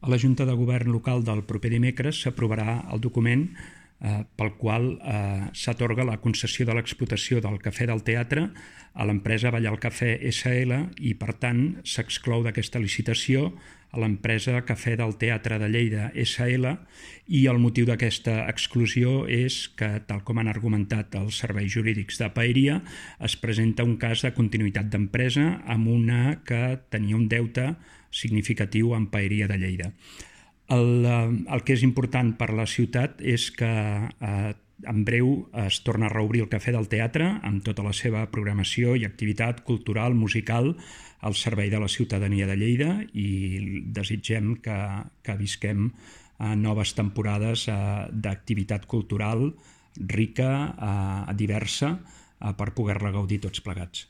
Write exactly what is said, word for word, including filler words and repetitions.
A la Junta de Govern local del proper dimecres s'aprovarà el document eh, pel qual eh, s'atorga la concessió de l'explotació del Cafè del Teatre a l'empresa Ballar el Cafè essa ele i, per tant, s'exclou d'aquesta licitació a l'empresa Cafè del Teatre de Lleida essa ele i el motiu d'aquesta exclusió és que, tal com han argumentat els serveis jurídics de Paeria, es presenta un cas de continuïtat d'empresa amb una que tenia un deute significatiu amb Paeria de Lleida. El, el que és important per a la ciutat és que eh, en breu es torna a reobrir el Cafè del Teatre amb tota la seva programació i activitat cultural, musical, al servei de la ciutadania de Lleida i desitgem que, que visquem eh, noves temporades eh, d'activitat cultural rica, eh, diversa, eh, per poder-la gaudir tots plegats.